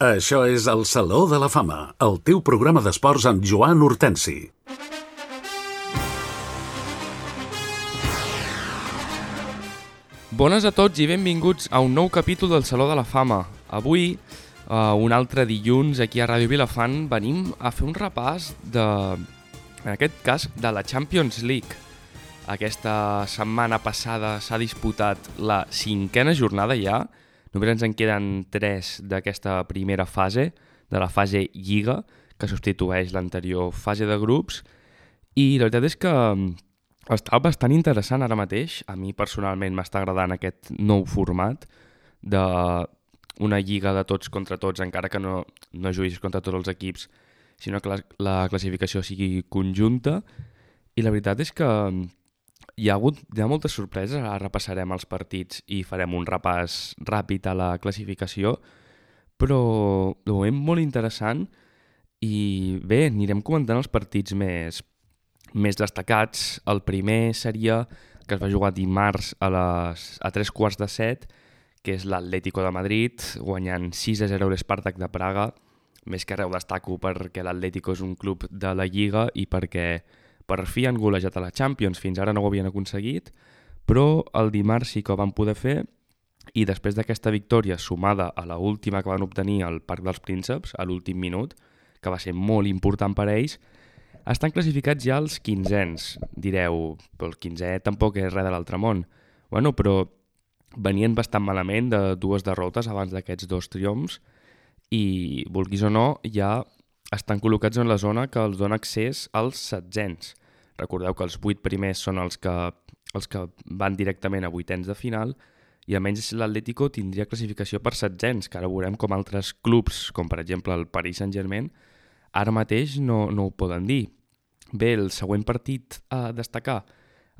Això és el Saló de la Fama, el teu programa d'esports amb Joan Hortensi. Bones a tots i benvinguts a un nou capítol del Saló de la Fama. Avui, un altre dilluns, aquí a Ràdio Vilafant, venim a fer un repàs en aquest cas, de la Champions League. Aquesta setmana passada s'ha disputat la 5a jornada ja. Només ens en queden 3 d'aquesta primera fase, de la fase Lliga, que substitueix l'anterior fase de grups. I la veritat és que està bastant interessant ara mateix. A mi personalment m'està agradant aquest nou format d'una lliga de tots contra tots, encara que no juguis contra tots els equips, sinó que la classificació sigui conjunta. I la veritat és que hi ha moltes sorpreses. Ara repassarem els partits i farem un repàs ràpid a la classificació, però de moment molt interessant. I bé, anirem comentant els partits més destacats. El primer seria que es va jugar dimarts a 7:15, que és l'Atlético de Madrid, guanyant 6-0 l'Spartak de Praga. Més que res ho destaco perquè l'Atlético és un club de la Lliga i perquè per fi han golejat a la Champions. Fins ara no ho havien aconseguit, però el dimarts sí que ho van poder fer, i després d'aquesta victòria sumada a l'última que van obtenir al Parc dels Prínceps, a l'últim minut, que va ser molt important per a ells, estan classificats ja els 15ens. Direu, però el 15è tampoc és res de l'altre món. Bueno, però venien bastant malament de 2 derrotes abans d'aquests 2 triomfs i, vulguis o no, ja estan col·locats en la zona que els dona accés als 16ens. Recordeu que els 8 primers són els que van directament a 8ens de final, i almenys l'Atlético tindria classificació per 16ens, que ara veurem com altres clubs, com per exemple el Paris Saint-Germain, ara mateix no ho poden dir. Bé, el següent partit a destacar,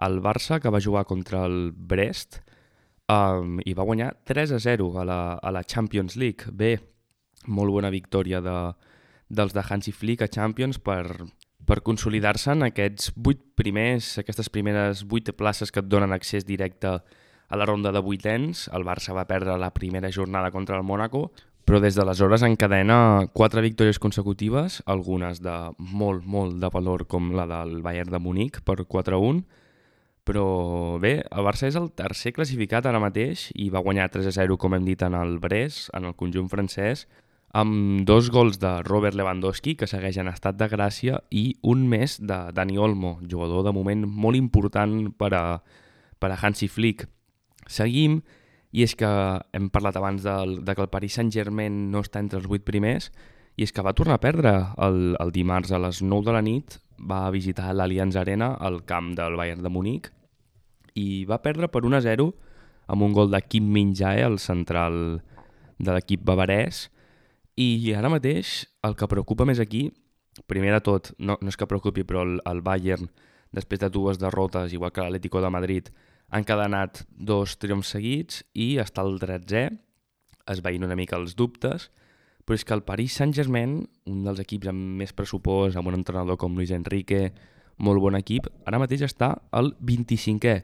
el Barça, que va jugar contra el Brest i va guanyar 3-0 a la Champions League. Bé, molt bona victòria dels de Hansi Flick a Champions per consolidar-se en aquests 8 primers, aquestes primeres 8 places que et donen accés directe a la ronda de 8ens. El Barça va perdre la primera jornada contra el Mónaco, però des d'aleshores encadena 4 victòries consecutives, algunes de molt de valor, com la del Bayern de Munic per 4-1. Però bé, el Barça és el tercer classificat ara mateix i va guanyar 3-0, com hem dit, en el Brest, en el conjunt francès, amb 2 gols de Robert Lewandowski, que segueix en estat de gràcia, i un més de Dani Olmo, jugador de moment molt important per a Hansi Flick. Seguim, i és que hem parlat abans de que el Paris Saint-Germain no està entre els 8 primers, i és que va tornar a perdre el dimarts a les 9 de la nit, va visitar l'Allianz Arena, al camp del Bayern de Munic, i va perdre per 1-0 amb un gol de Kim Min-jae, el central de l'equip bavarès. I ara mateix el que preocupa més aquí, primer de tot, no és que preocupi, però el Bayern, després de 2 derrotes, igual que l'Atlético de Madrid, han encadenat 2 triomfs seguits i està al 13è, esvaint una mica els dubtes, però és que el Paris Saint-Germain, un dels equips amb més pressupost, amb un entrenador com Luis Enrique, molt bon equip, ara mateix està al 25è.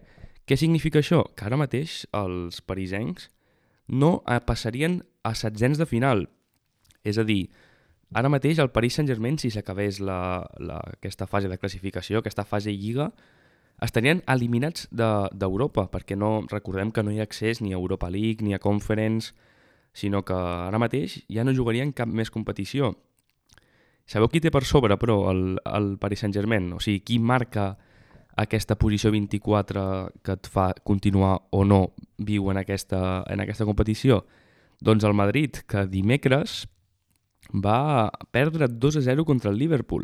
Què significa això? Que ara mateix els parisencs no passarien a 16ens de final. És a dir, ara mateix el Paris Saint-Germain, si s'acabés aquesta fase de classificació, aquesta fase Lliga, estarien eliminats d'Europa, perquè recordem que no hi ha accés ni a Europa League ni a Conference, sinó que ara mateix ja no jugarien cap més competició. Sabeu qui té per sobre, però, el Paris Saint-Germain? O sigui, qui marca aquesta posició 24 que et fa continuar o no viu en aquesta competició? Doncs el Madrid, que dimecres va perdre 2-0 contra el Liverpool.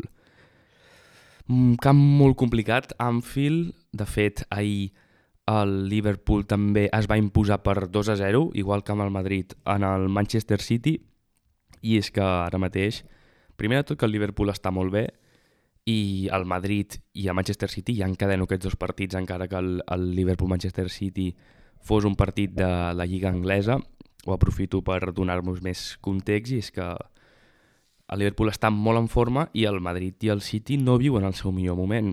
Un camp molt complicat, Anfield. De fet, ahir el Liverpool també es va imposar per 2-0, igual que amb el Madrid, en el Manchester City. I és que ara mateix, primer de tot, que el Liverpool està molt bé, i el Madrid i el Manchester City ja encadeno aquests 2 partits, encara que el Liverpool-Manchester City fos un partit de la Lliga Anglesa. Ho aprofito per donar-vos més context, i és que el Liverpool està molt en forma i el Madrid i el City no viuen el seu millor moment.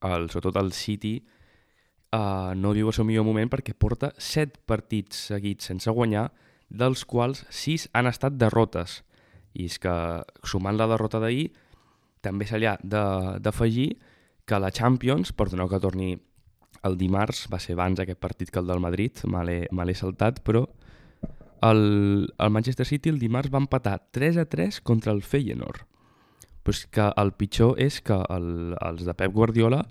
Sobretot el City no viu el seu millor moment perquè porta 7 partits seguits sense guanyar dels quals 6 han estat derrotes. I és que, sumant la derrota d'ahir, també se li ha d'afegir que la Champions, perdoneu que torni el dimarts, va ser abans aquest partit que el del Madrid, me l'he saltat, però el Manchester City el dimarts va empatar 3-3 contra el Feyenoord. Però és que el pitjor és que els de Pep Guardiola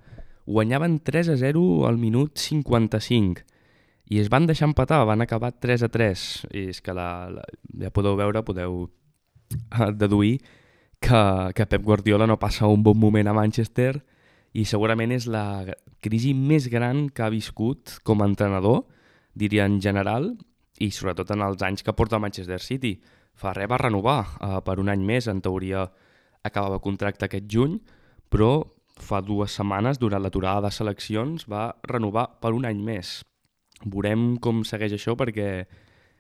guanyaven 3-0 al minut 55 i es van deixar empatar, van acabar 3-3. I és que ja podeu veure, podeu deduir que Pep Guardiola no passa un bon moment a Manchester i segurament és la crisi més gran que ha viscut com a entrenador, diria en general, i sobretot en els anys que porta el Manchester City. Fa res va renovar per un any més, en teoria acabava contracte aquest juny, però fa 2 setmanes, durant l'aturada de seleccions, va renovar per un any més. Veurem com segueix això perquè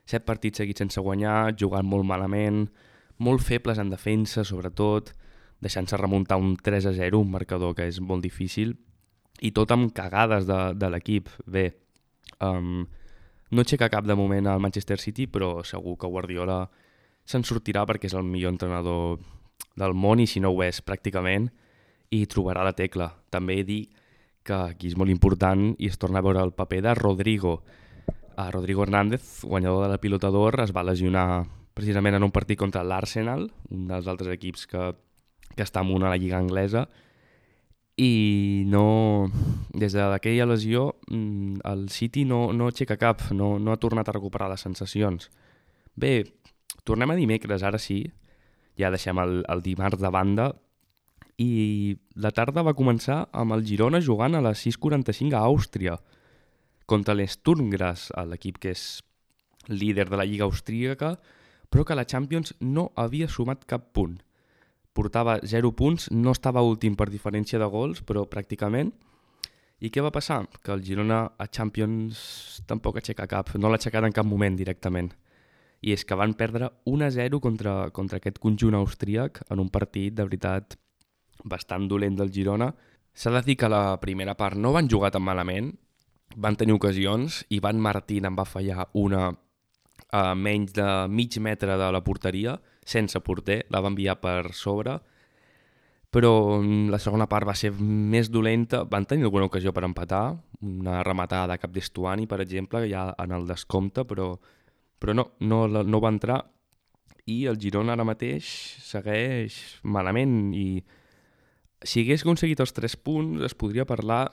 7 partits seguits sense guanyar, jugant molt malament, molt febles en defensa, sobretot, deixant-se remuntar un 3-0, un marcador que és molt difícil, i tot amb cagades de l'equip. Bé, no aixeca cap de moment al Manchester City, però segur que Guardiola se'n sortirà perquè és el millor entrenador del món i si no ho és pràcticament, i trobarà la tecla. També he dit que aquí és molt important i es torna a veure el paper de Rodrigo. Rodrigo Hernández, guanyador de la Pilota d'Or, es va lesionar precisament en un partit contra l'Arsenal, un dels altres equips que està amunt a la Lliga Anglesa, i no, des d'aquella lesió el City no aixeca cap, no ha tornat a recuperar les sensacions. Bé, tornem a dimecres, ara sí, ja deixem el dimarts de banda, i la tarda va començar amb el Girona jugant a les 6:45 a Àustria, contra l'Sturm Graz, l'equip que és líder de la Lliga Austríaca, però que la Champions no havia sumat cap punt. Portava 0 punts, no estava últim per diferència de gols, però pràcticament. I què va passar? Que el Girona a Champions tampoc aixeca cap, no l'ha aixecat en cap moment directament. I és que van perdre 1-0 contra aquest conjunt austríac en un partit, de veritat, bastant dolent del Girona. S'ha de dir que la primera part no van jugar tan malament, van tenir ocasions, i Van Martín en va fallar una a menys de mig metre de la porteria, sense porter, la va enviar per sobre, però la segona part va ser més dolenta, van tenir alguna ocasió per empatar, una rematada de Cap d'Estuani, per exemple, ja en el descompte, però no va entrar, i el Girona ara mateix segueix malament, i si hagués aconseguit els 3 punts es podria parlar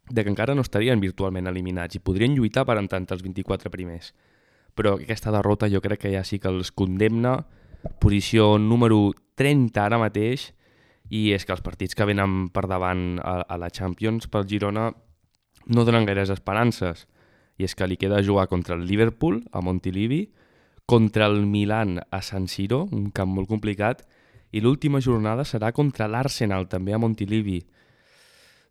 de que encara no estarien virtualment eliminats i podrien lluitar per entrar entre els 24 primers. Però aquesta derrota jo crec que ja sí que els condemna, posició número 30 ara mateix, i és que els partits que venen per davant a la Champions pel Girona no donen gaires esperances, i és que li queda jugar contra el Liverpool a Montilivi, contra el Milan a San Siro, un camp molt complicat, i l'última jornada serà contra l'Arsenal, també a Montilivi.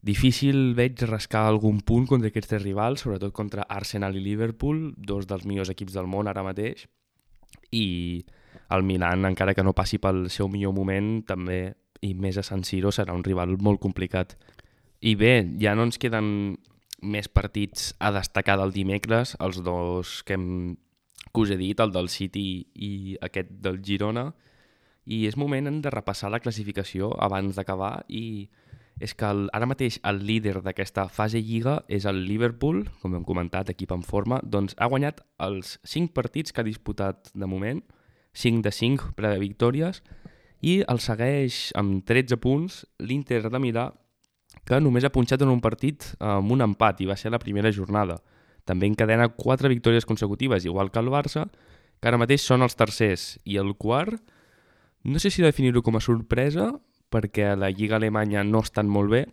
Difícil veig rascar algun punt contra aquests 3 rivals, sobretot contra Arsenal i Liverpool, 2 dels millors equips del món ara mateix, i el Milan, encara que no passi pel seu millor moment, també, i més a San Siro, serà un rival molt complicat. I bé, ja no ens queden més partits a destacar del dimecres, els 2 que us he dit, el del City i aquest del Girona, i és moment de repassar la classificació abans d'acabar, i és que ara mateix el líder d'aquesta fase Lliga és el Liverpool, com hem comentat, equip en forma, doncs ha guanyat els 5 partits que ha disputat de moment, 5 de 5 victòries, i el segueix amb 13 punts l'Inter de Milà, que només ha punxat en un partit amb un empat, i va ser la primera jornada. També encadena 4 victòries consecutives, igual que el Barça, que ara mateix són els tercers, i el quart, no sé si definir-ho com a sorpresa, perquè a la Lliga Alemanya no estan molt bé,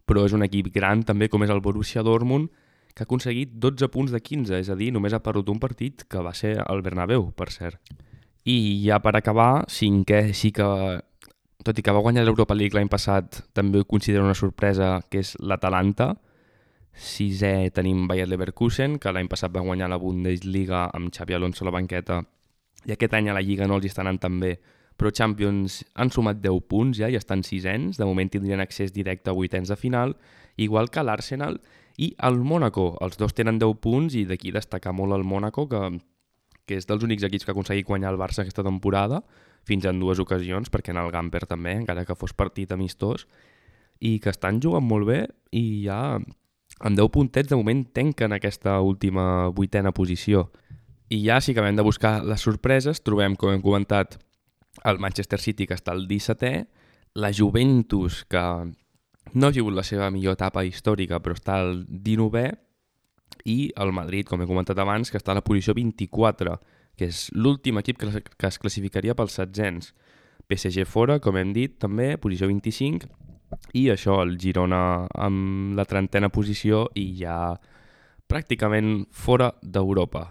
però és un equip gran també com és el Borussia Dortmund, que ha aconseguit 12 punts de 15, és a dir, només ha perdut un partit, que va ser el Bernabéu, per cert. I ja per acabar, cinquè sí que, tot i que va guanyar l'Europa League l'any passat, també ho considero una sorpresa, que és l'Atalanta. Sisè tenim Bayer Leverkusen, que l'any passat va guanyar la Bundesliga amb Xabi Alonso a la banqueta, i aquest any a la Lliga no els està anant tan bé, però Champions han sumat 10 punts ja i estan sisens, de moment tindrien accés directe a vuitens de final, igual que l'Arsenal i el Mónaco. Els 2 tenen 10 punts i d'aquí destacar molt el Mónaco, que que és dels únics equips que ha aconseguit guanyar el Barça aquesta temporada, fins en 2 ocasions, perquè en el Gamper també, encara que fos partit amistós, i que estan jugant molt bé i ja amb 10 puntets de moment tanquen aquesta última 8ª posició. I ja si acabem de buscar les sorpreses, trobem, com hem comentat, el Manchester City, que està al 17è, la Juventus, que no ha sigut la seva millor etapa històrica, però està al 19è, i el Madrid, com he comentat abans, que està a la posició 24, que és l'últim equip que es classificaria pels setzents. PSG fora, com hem dit, també, posició 25, i això, el Girona amb la 30ª posició i ja pràcticament fora d'Europa.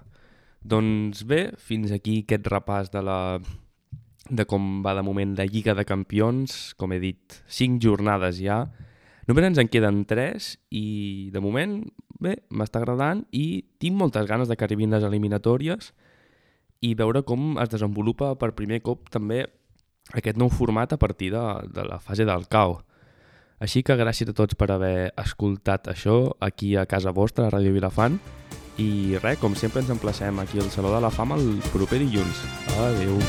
Doncs bé, fins aquí aquest repàs de com va de moment la Lliga de Campions. Com he dit, 5 jornades ja. Només ens en queden 3 i de moment, bé, m'està agradant i tinc moltes ganes de que arribin les eliminatòries i veure com es desenvolupa per primer cop també aquest nou format a partir de la fase del CAO. Així que gràcies a tots per haver escoltat això aquí a casa vostra, a Ràdio Vilafant. I res, com sempre ens emplacem aquí al Saló de la Fama el proper dilluns. Adéu.